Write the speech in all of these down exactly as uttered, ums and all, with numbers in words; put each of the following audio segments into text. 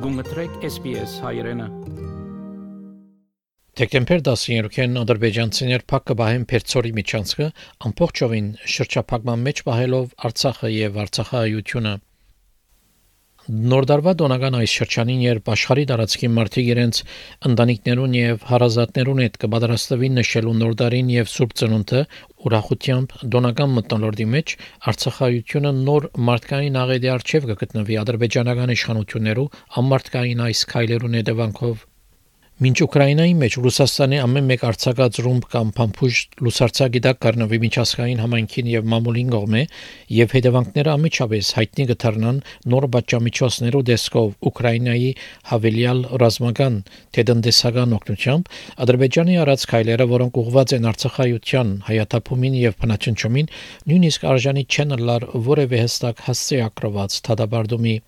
Գումտրեք S B S հայրենը։ Դեկտեմբեր տասնյոթին ադրբեջանցիներ փակը բահեն Պերցորի միջանցքը ամբողջովին շրջափակման մեջ պահելով Արցախը եւ Արցախայությունը։ Նորդարվա դոնական այս շրջանին երբ աշխարհի տարածքի մարդիկ իրենց ընտանիքներուն եւ հարազատներուն հետ կպատրաստվին նշելու նորդարին եւ Սուրբ Ծնունդը ուրախությամբ դոնական մթնոլորտի մեջ Արցախայությունը նոր մարդկային աղետի արչեւ կգտնվի ադրբեջանական իշխանություններու ամարտկային այս քայլերուն հետևանքով։ Մինչ Ուկրաինայի մեջ Ռուսաստանի ամեն մեկ արձակած ռումբ կամ փամփուշ լուսարցակի դակ կառնվի միջազգային համայնքին եւ մամուլին կողմէ եւ հետևանքները ամիջապես հայտնի կդառնան նոր բաժամիջոցներու դեսքով Ուկրաինայի հավելյալ ռազմական թե տնտեսական օգնությամբ Ադրբեջանի արած քայլերը, որոնք ուղղված են Արցախայության, հայաթափումին եւ բնաճնճումին, նույնիսկ արժանի չեն լար որևէ հստակ հասցեակրված դատաբարդումի։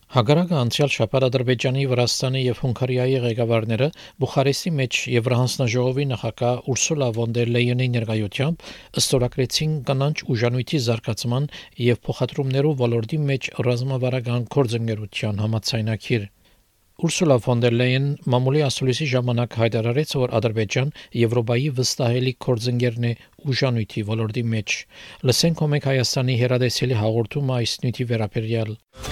Հակառակը անցյալ շաբաթ Ադրբեջանի, Վրաստանի եւ Հունգարիայի ղեկավարները Բուխարեստի մեջ Եվրահանձնաժողովի նախագահ Ուրսուլա վոն դեր Լեյենի ներկայությամբ ստորագրեցին կանանչ ուժանույթի զարգացման եւ փոխադրումներու ոլորտի մեջ ռազմավարական գործընկերության համաձայնագիր։ Ուրսուլա վոն դեր Լեյեն մամուլի ասուլիսի ժամանակ հայտարարեց, որ Ադրբեջան Եվրոպայի վստահելի գործընկերն է ուժանույթի ոլորտի մեջ։ Լսենք ոմեկ Հայաստանի հերադեսելի հաղորդումը այս նյութի վերաբերյալ։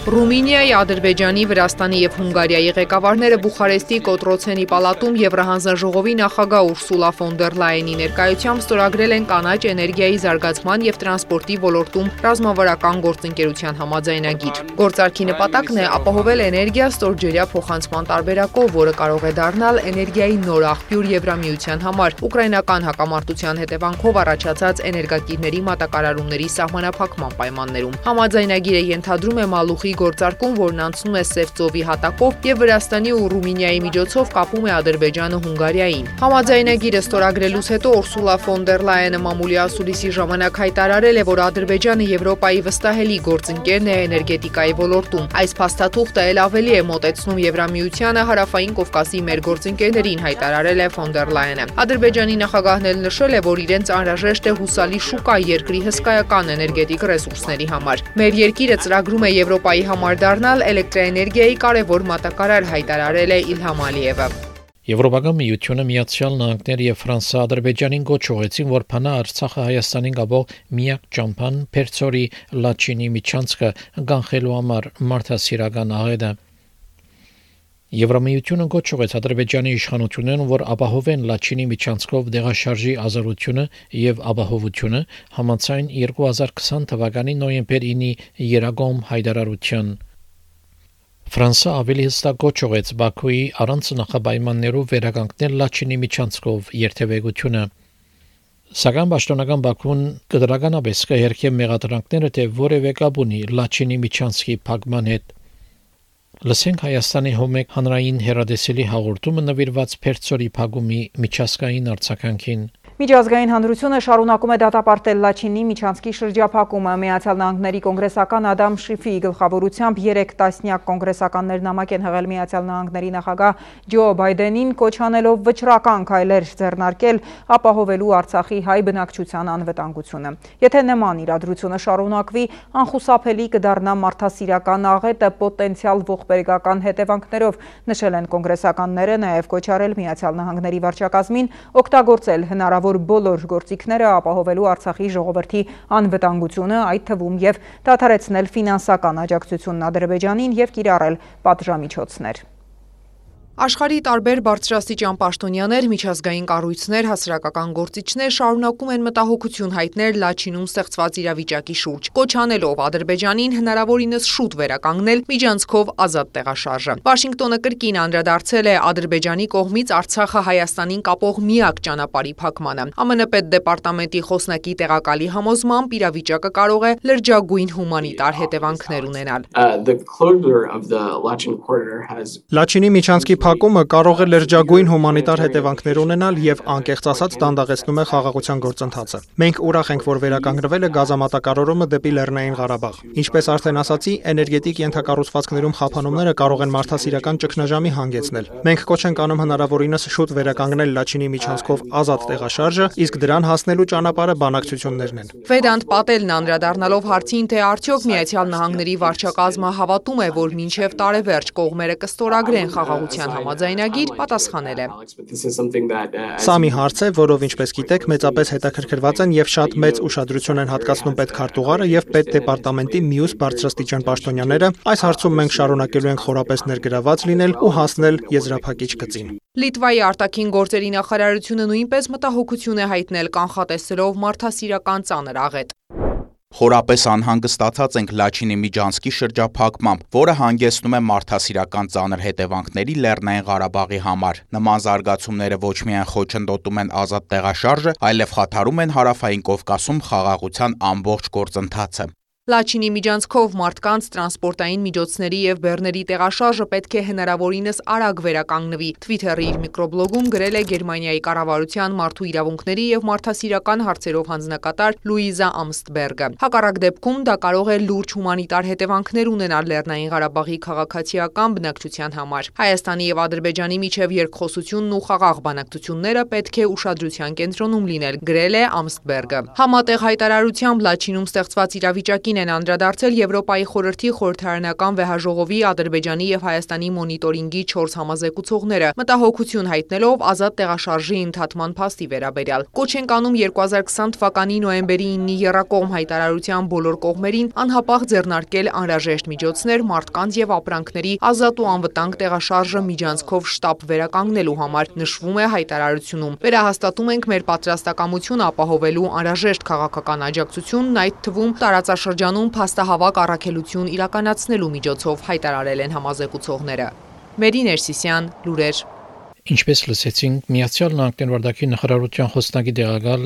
Ռումինիայի, Ադրբեջանի, Վրաստանի եւ Հունգարիայի ղեկավարները Բուխարեստի Կոտրոցենի պալատում Եվրահանձնաժողովի նախագահ Ուրսուլա վոն դեր Լայենի ներկայությամբ ստորագրել են կանաչ էներգիայի զարգացման եւ տրանսպորտի ոլորտում ռազմավարական գործընկերության համաձայնագիր։ Գործարքի նպատակն է ապահովել էներգիա ստորջրյա փոխանցման տարբերակով, որը կարող է դառնալ էներգիայի նոր աղբյուր Եվրամիության համար ուկրաինական հակամարտության հետևանքով առաջացած էներգակիրների մատակարարումների սահմանափակման պայմաններում։ Համաձայնագիրը ենթադրում է մալուխի գործարկում, որն անցնում է Սև ծովի հատակով եւ Վրաստանի ու Ռումինիայի միջոցով կապում է Ադրբեջանը Հունգարիային։ Համաձայնագիրը ստորագրելուց հետո Ուրսուլա վոն դեր Լայենը մամուլի ասուլիսի ժամանակ հայտարարել է, որ Ադրբեջանը Եվրոպայի վստահելի գործընկերն է էներգետիկայի ոլորտում։ Այս փաստաթուղթը ել ավելի է մոտեցնում Եվրամիությանը հարավային Կովկասի մեր գործընկերներին, հայտարարել է վոն դեր Լայենը։ Ադրբեջանի նախագահն էլ նշել է, որ իրենց անհրաժեշտ է հուսալի շուկա երկրի հսկայական էներգետիկ ռեսուրսների համար։ Մեր երկիրը ծրագրում է Եվրոպայի համար դառնալ էլեկտրաէներգիայի կարևոր մատակարար, հայտարարել է Իլհամ Ալիևը։ Եվրոպական միությունը, Միացյալ Նահանգներ եւ Ֆրանսա Ադրբեջանին գոչ ուղեցին, որ փանա Արցախը Հայաստանին գաբող միակ ճամփան Պերցորի Լաչինի միջանցքը կանխելու համար մարդասիրական աղետը։ Եվրամիությունը գոչ ուղեց Ադրբեջանի իշխանություններին, որ ապահովեն Լաչինի միջանցքով դեղաշարժի ազատությունը եւ ապահովությունը համաձայն երկու հազար քսան թվականի նոյեմբեր ինի երագոմ հայտարարության։ Ֆրանսա ավելի հստակ գոչ ուղեց Բաքուի առանց նախապայմաններով վերականգնել Լաչինի միջանցքով երթևեկությունը։ Սակայն պաշտոնական Բաքուն կդրականապես կհերքե մեղադրանքները, թե որևէ կապ ունի Լաչինի միջանցքի փակման հետ։ Լսենք Հայաստանի հոմեկ հանրային հերադեսելի հաղորդումը նվիրված Պերցորի փակումի միջազգային արձագանքին։ Միջազգային հանրությունը շարունակում է դատապարտել Լաչինի միջանցքի շրջափակումը։ Միացյալ Նահանգների կոնգրեսական Ադամ Շիֆի գլխավորությամբ երեք տասնյակ կոնգրեսականներ նամակ են հղել Միացյալ Նահանգների նախագահ Ջո Բայդենին, կոչ անելով վճռական քայլեր ձեռնարկել ապահովելու Արցախի հայ բնակչության անվտանգությունը։ Եթե նման իրադրությունը շարունակվի, անխուսափելի կդառնա մարդասիրական աղետը պոտենցիալ ողբերգական հետևանքներով, նշել են կոնգրեսականները, նաև կոչ արել Միացյալ Նահանգների վարչակազմին օգտագործել հնարավոր բոլոր գործիքները ապահովելու Արցախի ժողովրդի անվտանգությունը, այդ թվում եւ դադարեցնել ֆինանսական աջակցությունն Ադրբեջանին եւ կիրառել պատժամիջոցներ։ Աշխարհի տարբեր բարձրաստիճան պաշտոնյաներ, միջազգային կառույցներ, հասարակական գործիչներ շարունակում են մտահոգություն հայտնել Լաչինում ստեղծված իրավիճակի շուրջ, կոչ անելով Ադրբեջանին հնարավորինս շուտ վերականգնել միջանցքով ազատ տեղաշարժը։ Վաշինգտոնը կրկին անդրադարձել է Ադրբեջանի կողմից Արցախը Հայաստանին կապող միակ ճանապարհի փակմանը։ ԱՄՆ պետդեպարտամենտի խոսնակի տեղակալի համոզմամբ իրավիճակը կարող է լրջագույն հումանիտար հետևանքներ ունենալ։ Լաչինի միջանցքի փակումը կարող է լրջագույն հումանիտար հետևանքներ ունենալ եւ անկեղծ ասած դանդաղեցնում է խաղաղության գործընթացը։ Մենք ուրախ ենք, որ վերականգնվել է գազամատակարարումը դեպի Լեռնային Ղարաբաղ։ Ինչպես արդեն ասացի, էներգետիկ ենթակառուցվածքներում խափանումները կարող են մարդասիրական ճգնաժամի հանգեցնել։ Մենք կոչ ենք անում հնարավորինս շուտ վերականգնել Լաչինի միջանցքով ազատ տեղաշարժը, իսկ դրան հասնելու ճանապարհը բանակցություններն են։ Վեդանտ Պատելն անդրադառնալով հարցին, թե արդյոք Միացյալ Նահանգների վարչակազմը հավատում է, որ մինչև տարեվերջ կողմերը կստորագրեն խաղաղության համաձայնագիր, պատասխանել է. Սա մի հարց է, որով ինչպես գիտեք, մեծապես հետաքրքրված են եւ շատ մեծ ուշադրություն են հատկացնում պետքարտուղարը եւ պետդեպարտամենտի մյուս բարձրաստիճան պաշտոնյաները։ Այս հարցում մենք շարունակելու ենք խորապես ներգրաված լինել ու հասնել եզրափակիչ գծին։ Լիտվայի արտաքին գործերի նախարարությունը նույնպես մտահոգություն է հայտնել կանխատեսելով մարդասիրական ծանր աղետ։ Խորապես անհանգստացած ենք Լաչինի միջանցքի շրջափակմամբ, որը հանգեցնում է մարդասիրական ծանր հետևանքների Լեռնային Ղարաբաղի համար։ Նման զարգացումները ոչ միայն խոչընդոտում են ազատ տեղաշարժը, այլև խաթարում են Հարավային Կովկասում խաղաղության ամբողջ գործընթացը։ Լաչինի միջանցքով մարդկանց, տրանսպորտային միջոցների եւ բեռների տեղաշարժը պետք է հնարավորինս արագ վերականգնվի։ Թվիթերի իր միկրոբլոգում գրել է Գերմանիայի կառավարության մարդու իրավունքների եւ մարդասիրական հարցերով հանձնակատար Լուիզա Ամստբերգը։ Հակառակ դեպքում դա կարող է լուրջ հումանիտար հետևանքներ ունենալ Լեռնային Ղարաբաղի քաղաքացիական բնակչության համար։ Հայաստանի եւ Ադրբեջանի միջև երկխոսությունն ու խաղաղ բանակցությունները պետք է ուշադրության կենտրոնում լինել, գրել է Ամստբերգը։ Համատեղ հայտարարությամբ Լաչինում ստեղծված իրավիճակի են անդրադարձել Եվրոպայի խորհրդի խորհրդարանական վեհաժողովի Ադրբեջանի եւ Հայաստանի մոնիտորինգի չորս համազեկուցողները, մտահոգություն հայտնելով ազատ տեղաշարժի ընդհատման փաստի վերաբերյալ։ Կոչ են կանում երկու հազար քսան թվականի նոյեմբերի իննի եռակողմ հայտարարության բոլոր կողմերին անհապաղ ձեռնարկել անհրաժեշտ միջոցներ մարդկանց եւ ապրանքների ազատ ու անվտանգ տեղաշարժը միջանցքով շտապ վերականգնելու համար, նշվում է հայտարարությունում։ Վերահաստատում ենք մեր պատրաստակամությունը ապահովելու անհրաժեշտ քաղաքական աջակցությունն, այդ թվում տարածաշրջանում փաստահավաք առաքելություն իրականացնելու միջոցով, հայտարարել են համազեկուցողները։ Մերի Ներսիսյան, լուրեր։ Ինչպես լսեցինք, Միացյալ Նահանգների վարչապետի նախարարության խոսնակի տեղակալ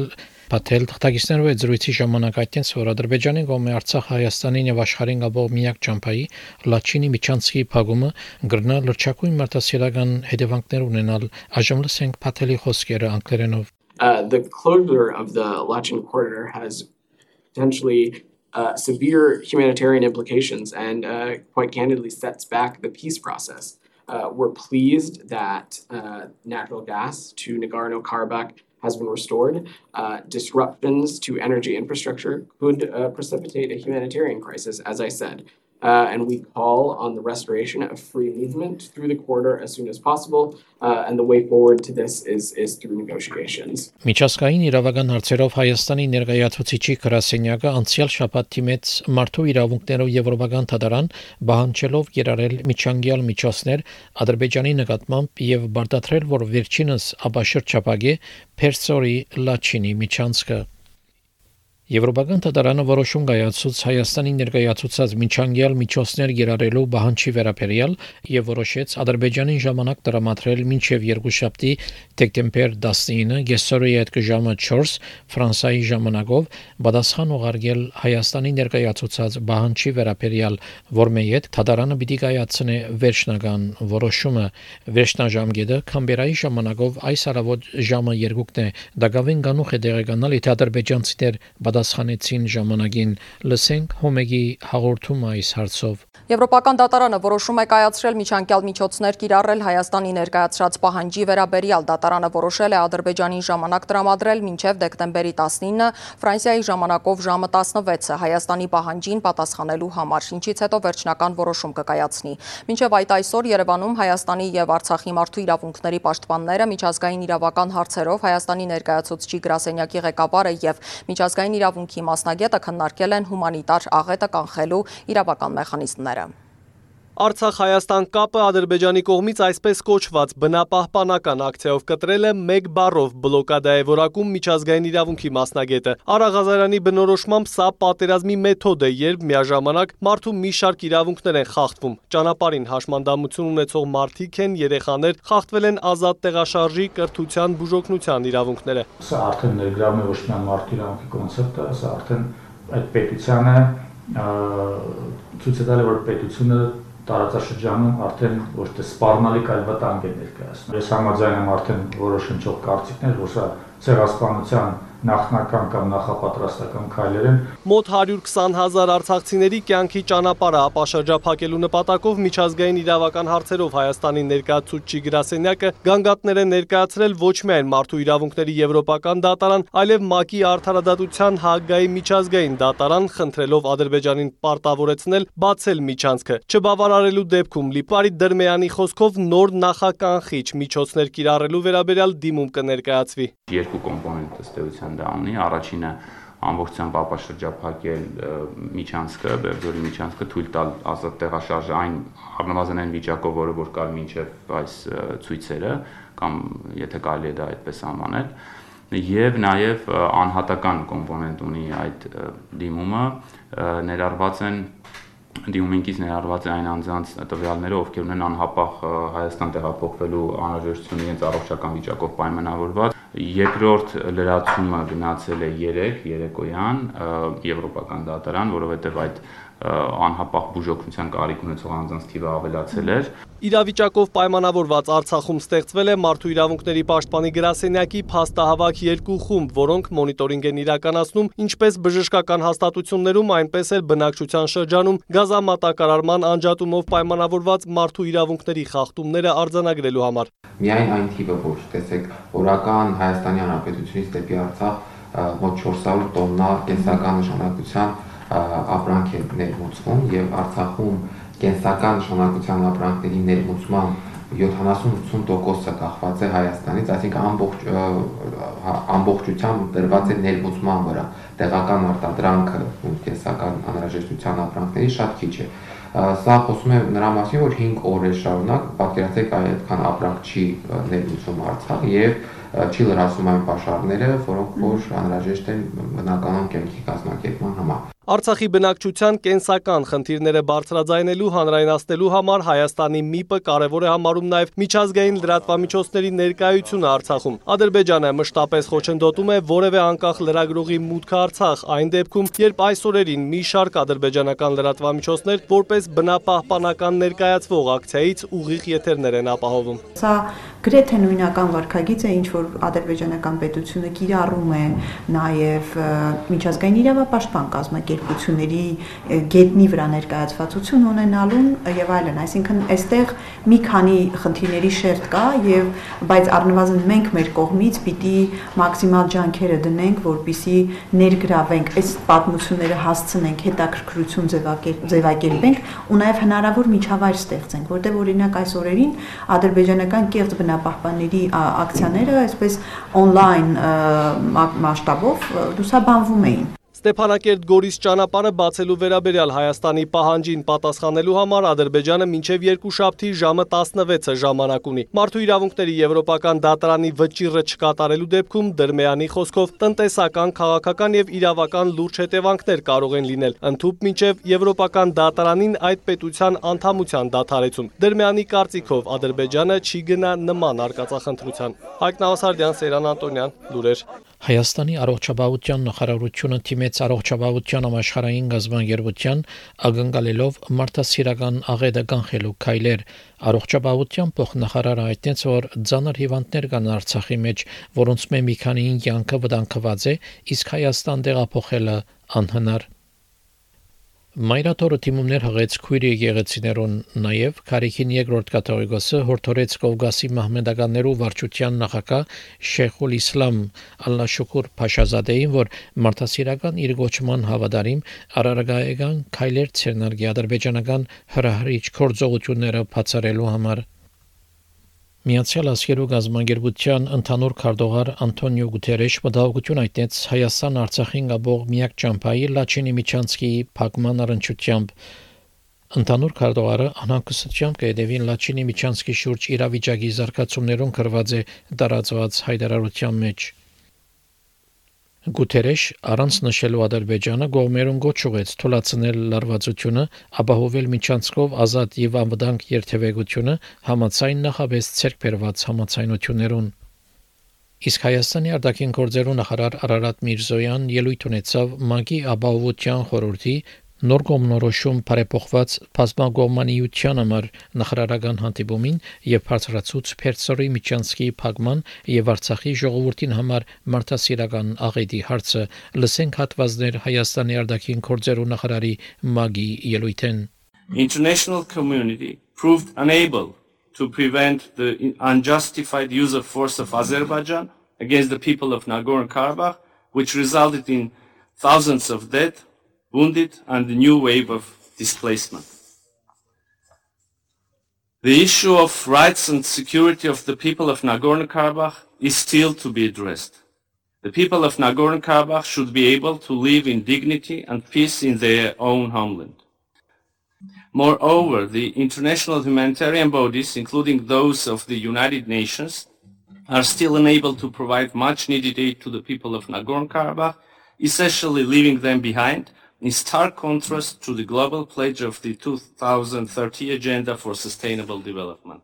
Պատել թղթակիցներով այդ զրույցի ժամանակ այդտենց, որ Ադրբեջանի կողմի Արցախ, Հայաստանին եւ աշխարհին գաբող միակ ճամփայի Լաչինի միջանցքի փակումը գրնա լրջակույն մարդասիրական հետևանքներ ունենալ։ Այժմ լսենք Պատելի խոսքերը անգլերենով։ The closure of the Lachin corridor has potentially uh, severe humanitarian implications and uh, quite candidly sets back the peace process. Uh, we're pleased that uh, natural gas to Nagorno-Karabakh has been restored. Uh, disruptions to energy infrastructure could uh, precipitate a humanitarian crisis, as I said. Uh, and we call on the restoration of free movement through the corridor as soon as possible. Uh, and the way forward to this is, is through negotiations. Միջազգային իրավական հարցերով Հայաստանի ներկայացուցիչի գրասենյակը անցյալ շաբաթ թիմեց մարդու իրավունքներով եվրոպական թադարան բանջելով երարել միջանկյալ միջոցներ Ադրբեջանի նկատմամբ եւ բարդացրել, որ վերջինս ապաշրջապագե Պերսորի Լաչինի միջանցքը։ Եվրոպական թադարանը որոշում կայացուց Հայաստանի ներկայացուցած միջանկյալ միջոցներ գերարելու բանջի վերաբերյալ եւ որոշեց Ադրբեջանին ժամանակ տրամադրել մինչեւ երկուշաբթի դեկտեմբեր տասնինը գեսորի այդ ժամը չորս Ֆրանսիայի ժամանակով պատասխան ուղարկել Հայաստանի ներկայացուցած բանջի վերաբերյալ, որ մեյետ թադարանը պիտի կայացնե վերջնական որոշումը։ Վերջնաժամկետը Կամբերայի ժամանակով այս առավոտ ժամը երկուքն է։ Դակավին կանուխ է տեղեկանալ, եթե ադրբեջանցիներ պատասխանեցին ժամանակին։ Լսենք Հոմեգի հաղորդումը այս հարցով։ Եվրոպական դատարանը որոշում է կայացրել միջանկյալ միջոցներ կիրառել Հայաստանի ներկայացրած պահանջի վերաբերյալ։ Դատարանը որոշել է Ադրբեջանին ժամանակ տրամադրել մինչև դեկտեմբերի տասնինը, Ֆրանսիայի ժամանակով ժամը տասնվեցը Հայաստանի պահանջին պատասխանելու համար, ինչից հետո վերջնական որոշում կկայացնի։ Մինչև այդ այսօր Երևանում Հայաստանի եւ Արցախի մարդու իրավունքների պաշտպանները, միջազգային իրավական հարցերով Հայաստանի ներկայացուցչի գրասենյակի ղեկավարը եւ միջազգային իրավունքի մասնագետը քննարկել են հումանիտար աղետը կանխելու իրավական մեխանիզմները։ Արցախ-Հայաստան կապը Ադրբեջանի կողմից այսպես կոչված բնապահպանական ակցիայով կտրել է մեկ բառով բլոկադա է որակում միջազգային իրավունքի մասնագետը։ Արա Ղազարյանի բնորոշմամբ սա պատերազմի մեթոդ է, երբ միաժամանակ մարդու մի շարք իրավունքներ են խախտվում։ Ճանապարհին հաշմանդամություն ունեցող մարդիկ են, երեխաներ, խախտվել են ազատ տեղաշարժի, կրթության, բուժօգնության իրավունքները։ Սա արդեն ներգրավում է ոչ միայն մարդու իրավունքի կոնցեպտը, սա արդեն այդ պետությանը ցույց է տալի, որ պետությունը տարածաշրջանում արդեն ոչ թե սպառնալիք, այլ վտանգ է ներկայացնում։ Ես համաձայն եմ արդեն որոշ հնչող կարծիքներ, որ սա ցեղասպանության նախնական կամ նախապատրաստական քայլեր են։ Մոտ հարյուր քսան հազար արցախցիների կյանքի ճանապարհը ապաշրջափակելու նպատակով միջազգային իրավական հարցերով Հայաստանի ներկայացուցիչ գրասենյակը գանգատներ է ներկայացրել ոչ միայն մարդու իրավունքների եվրոպական դատարան, այլև ՄԱԿ-ի արդարադատության Հաագայի միջազգային դատարան, խնդրելով Ադրբեջանին պարտավորեցնել բացել միջանցքը։ Չբավարարելու դեպքում Լիպարի Դրմեյանի խոսքով նոր նախականխիչ միջոցներ կիրառելու վերաբերյալ դիմում կներկայացվի։ Երկու կոմպոնենտ ըստ էության դա ունի, առաջինը ամբողջությամբ ապաշրջափակել միջանցքը, Բերձորի միջանցքը, թույլ տալ ազատ տեղաշարժը այն առնվազն այն վիճակով, որը որ կար մինչև այս ցույցերը, կամ եթե կարելի է դա այդպես անվանել, եւ նաեւ անհատական կոմպոնենտ ունի այդ դիմումը, ներառված են դիմումինքից ներառված է այն անձանց տվյալները, ովքեր ունեն անհապաղ Հայաստան տեղափոխվելու անհրաժեշտություն իրենց առողջական վիճակով պայմանավորված։ Երկրորդ լրացումը գնացել է երեկ երեկոյան եվրոպական դատարան, որովհետև այդ անհապաղ բուժօգնության կարիք ունեցող անձանց թիվը ավելացել էր։ Իրավիճակով պայմանավորված Արցախում ստեղծվել է Մարդու իրավունքների պաշտպանի գրասենյակի փաստահավաք երկու խումբ, որոնք մոնիտորինգ են իրականացնում ինչպես բժշկական հաստատություններում, այնպես էլ բնակչության շրջանում գազամատակարարման անջատումով պայմանավորված մարդու իրավունքների խախտումները արձանագրելու համար։ Միայն այն թիվը, որ տեսեք, օրական Հայաստանի Հանրապետությունից դեպի Արցախ մոտ չորս հարյուր տոննա կենսական նշանակության ապրանք է ներմուծվում եւ Արցախում կենսական նշանակության ապրանքների ներմուծման յոթանասուն ութսուն տոկոսը կախված է Հայաստանից, այսինքն ամբողջ ամբողջությամբ դրված է ներմուծման վրա, տեղական արտադրանքը ու կենսական անհրաժեշտության ապրանքների շատ քիչ է։ Սա խոսում է նրա մասին, որ հինգ օր է շարունակ, պատկերացրեք այդքան ապրանք չի ներմուծում Արցախ եւ չի լրացում այն պաշարները, որոնք որ անհրաժեշտ են բնականon կյանքի կազմակերպման համար։ Արցախի բնակչության կենսական խնդիրները բարձրաձայնելու, հանրայնացնելու համար Հայաստանի ՄԻՊ-ը կարևոր է համարում նաև միջազգային լրատվամիջոցների ներկայությունը Արցախում։ Ադրբեջանը մշտապես խոչընդոտում է որևէ անկախ լրագրողի մուտքը Արցախ, այն դեպքում, երբ այս օրերին մի շարք ադրբեջանական լրատվամիջոցներ որպես բնապահպանական ներկայացվող ակցիայից ուղիղ եթերներ են ապահովում։ Սա գրեթե նույնական վարքագիծ է, ինչ որ ադրբեջանական պետությունը կիրառում է նաև միջազգային իրավապաշտպան կազմակերպությունների գետնի վրա ներկայացվածություն ունենալուն եւ այլն, այսինքն այստեղ մի քանի խնդիրների շերտ կա եւ բայց առնվազն մենք մեր կողմից պիտի մաքսիմալ ջանքերը դնենք, որպիսի ներգրավենք այս պատմությունները, հասցնենք հետաքրքրություն ձևակերպենք ու նաեւ հնարավոր միջավայր ստեղծենք, որտեղ օրինակ այս օրերին ադրբեջանական կեղծ բնապահպանների ակցիաները այսպես on-line մասշտաբով լուսաբանվում էին։ Ստեփանակերտ Գորիս ճանապարհը բացելու վերաբերյալ Հայաստանի պահանջին պատասխանելու համար Ադրբեջանը մինչև երկուշաբթի ժամը տասնվեցը ժամանակ ունի։ Մարդու իրավունքների եվրոպական դատարանի վճիռը չկատարելու դեպքում Դրմեյանի խոսքով տնտեսական, քաղաքական եւ իրավական լուրջ հետևանքներ կարող են լինել, ընդհուպ մինչև եվրոպական դատարանին այդ պետության անդամության դադարեցում։ Դրմեյանի կարծիքով Ադրբեջանը չի գնա նման արկածախնդրության։ Հայկ Նավասարդյան, Սերան Անտոնյան, լուրեր։ Հայաստանի առողջապահության նախարարությունը թիմեց առողջապահության համաշխարհային գազբանգերության ակնկալելով մարդասիրական աղետը կանխելու քայլեր։ Առողջապահության փոխնախարարը հայտնեց, որ ծանր հիվանդներ կան Արցախի մեջ, որոնց մի քանիին կյանքը վտանգված է, իսկ Հայաստան տեղափոխելը անհնար։ Մայրաթորը թիմումներ հղեց քույր եկեղեցիներուն, նաև Քարիքին երկրորդ կաթողիկոսը հորդորեց Կովկասի մահմեդականներու վարչության նախագահ Շեյխուլ Իսլամ Ալլաշուկուր Փաշազադեին, որ մարդասիրական իր գոչման հավատարիմ արարագայական քայլեր ցերնարգի ադրբեջանական հրահրիչ գործողությունները բացառելու համար։ Միացյալ Աշխարհի գազբանգերության ընդհանուր քարտուղար Անտոնիո Գուտերեշ մտահոգություն հայտնեց Հայաստան Արցախին գաբող միակ ճամփայի Լաչինի միջանցքի փակման առնչությամբ։ Ընդհանուր քարտուղարը անհանգստությամբ կհետևի Լաչինի միջանցքի շուրջ իրավիճակի զարգացումներուն գրված է տարածված հայտարարության մեջ։ Գուտերեշ առանց նշելու Ադրբեջանը գողմերուն գոչ ուղեց թույլատրել լարվածությունը, ապահովել միջանցքով ազատ եւ անվտանգ երթևեկությունը համաձայն նախաբես ցերկ բերված համաձայնություններուն։ Իսկ Հայաստանի արտաքին գործերու նախարար Արարատ Միրզոյան ելույթ ունեցավ ՄԱԿ-ի ապահովության խորհրդի Նոր կողմնորոշում բարեփոխված բազմակողմանիության համար նախարարական հանդիպումին եւ բարձրացուց Պերսորի Միչանսկի փակման եւ Արցախի ժողովրդին համար մարդասիրական աղետի հարցը լսենք հատվածներ Հայաստանի արտաքին գործերու նախարարի Մագի ելույթեն. International community proved unable to prevent the unjustified use of force of Azerbaijan against the people of Nagorno-Karabakh, which resulted in thousands of dead, wounded, and a new wave of displacement. The issue of rights and security of the people of Nagorno-Karabakh is still to be addressed. The people of Nagorno-Karabakh should be able to live in dignity and peace in their own homeland. Moreover, the international humanitarian bodies, including those of the United Nations, are still unable to provide much needed aid to the people of Nagorno-Karabakh, essentially leaving them behind, in stark contrast to the global pledge of the two thousand thirty Agenda for Sustainable Development.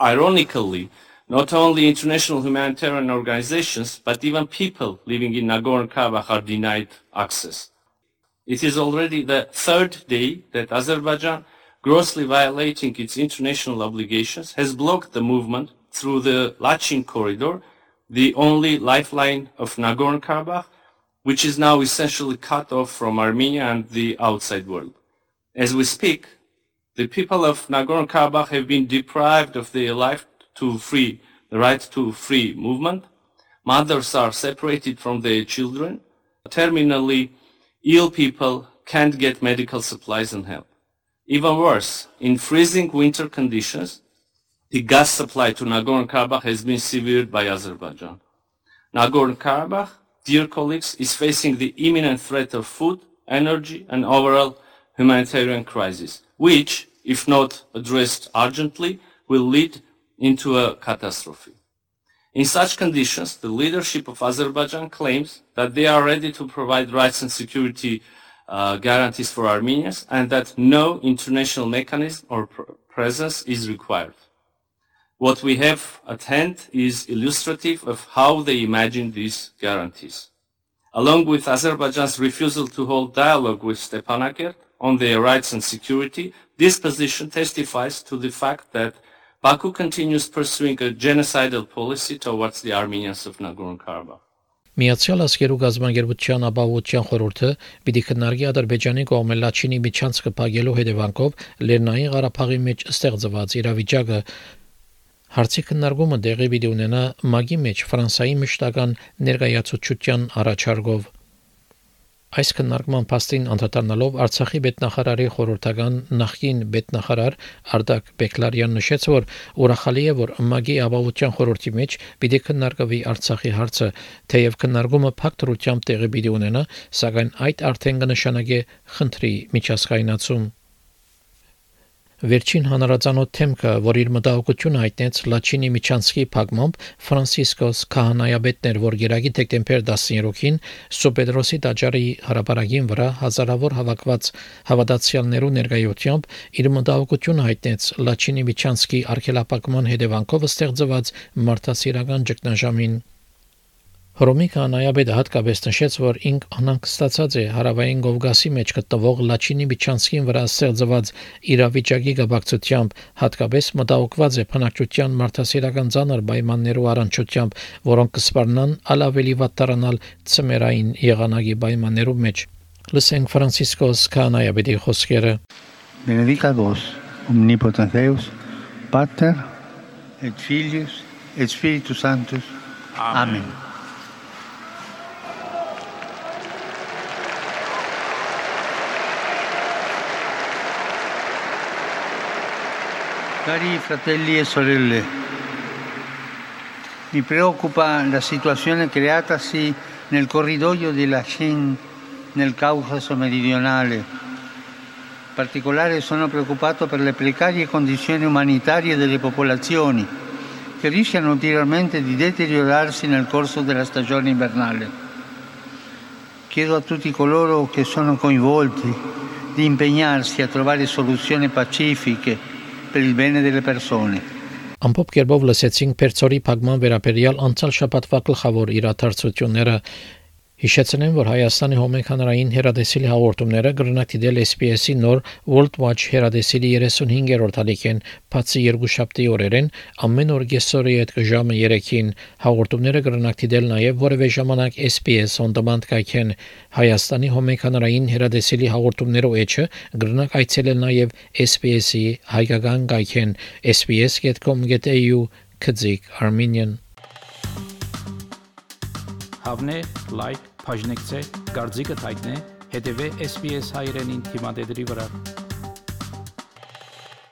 Ironically, not only international humanitarian organizations, but even people living in Nagorno-Karabakh are denied access. It is already the third day that Azerbaijan, grossly violating its international obligations, has blocked the movement through the Lachin corridor, the only lifeline of Nagorno-Karabakh, which is now essentially cut off from Armenia and the outside world. As we speak, the people of Nagorno-Karabakh have been deprived of their right to free, the right to free movement. Mothers are separated from their children. Terminally ill people can't get medical supplies and help. Even worse, in freezing winter conditions, the gas supply to Nagorno-Karabakh has been severed by Azerbaijan. Nagorno-Karabakh, dear colleagues, is facing the imminent threat of food, energy, and overall humanitarian crisis, which, if not addressed urgently, will lead into a catastrophe. In such conditions, the leadership of Azerbaijan claims that they are ready to provide rights and security uh, guarantees for Armenians and that no international mechanism or pr- presence is required. What we have at hand is illustrative of how they imagine these guarantees. Along with Azerbaijan's refusal to hold dialogue with Stepanakert on their rights and security, this position testifies to the fact that Baku continues pursuing a genocidal policy towards the Armenians of Nagorno-Karabakh. Միացյալ Աշխարհի գազམ-ագերբության ապահովության խորհուրդը պիտի քննարկի Ադրբեջանի կողմէ Լաչինի միջանցքը փակելու հետևանքով Լեռնային Ղարաբաղի մեջ ստեղծված իրավիճակը հարցի քննարկումը դեղի պիտի ունենա ՄԱԳ-ի մեջ Ֆրանսիայի մշտական ներկայացուցչության առաջարկով։ Այս քննարկման փաստին անդրադառնալով Արցախի պետնախարարի խորհրդական նախկին պետնախարար Արդակ Բեկլարյան նշեց, որ ուրախալի է, որ ՄԱԳ-ի ապահովության խորհրդի մեջ պիտի քննարկվի Արցախի հարցը, թեև քննարկումը փակ դրությամբ տեղի պիտի ունենա, սակայն այդ արդեն կնշանակի խնդրի միջազգայնացում։ Վերջին հանրազանոթ թեմքը, որ իր մտահոգությունը հայտնեց Լաչինի Միչանսկի փակմամբ, Ֆրանցիսկոս Քահանայապետն էր, որ գերագի դեկտեմբեր տասներոքին Սոպեդրոսի տաճարի հրապարակին վրա հազարավոր հավաքված հավատացյալներու ներկայությամբ իր մտահոգությունը հայտնեց Լաչինի Միչանսկի արգելափակման հետևանքով ստեղծված մարդասիրական ճգնաժամին։ Հռոմի քահանայապետը հատկապես նշեց, որ ինք անհանգստացած է հարավային Կովկասի մեջ գտնվող Լաչինի Միչանսկին վրա ստեղծված իրավիճակի կապակցությամբ, հատկապես մտահոգված է բնակչության մարդասիրական ծանր պայմաններու առնչությամբ, որոնք կսպառնան ալավելի վատ դառնալ ցմերային եղանակի պայմաններու մեջ։ Լսենք Ֆրանցիսկոս քահանայապետի խոսքերը։ Benedicat vos, omnipotens Deus, Pater et Filius et Spiritus Sanctus. Amen. Cari fratelli e sorelle, mi preoccupa la situazione creatasi nel corridoio di Lachin nel Caucaso meridionale. In particolare sono preoccupato per le precarie condizioni umanitarie delle popolazioni che rischiano ulteriormente di deteriorarsi nel corso della stagione invernale. Chiedo a tutti coloro che sono coinvolti di impegnarsi a trovare soluzioni pacifiche per il bene delle persone. Ամփոփ կերպով լսեցինք Պերսորի փակման վերաբերյալ անցյալ շաբաթվա գլխավոր իրադարձությունները։ Հիշեցնեմ, որ Հայաստանի հոմեքանարային հեռադեսիլի հաղորդումները կրնակ դիտել S B S-ի նոր World Watch հեռադեսիլի երեսունհինգերորդ ալիքեն, բացի երկուշաբթի օրերեն, ամեն օր կեսօրի հետ ժամը երեքին հաղորդումները կրնակ դիտել նաև որևէ ժամանակ S B S on demand կայքեն Հայաստանի հոմեքանարային հեռադեսիլի հաղորդումներով էջը կրնակ այցելել նաև S B S-ի հայկական կայքեն s b s dot com dot a u քծիկ Armenian Հավնե, լայք, բաժնեկցե, դարձիկը թայտնե, հետևե S B S հայրենին թիմադեդի վրա։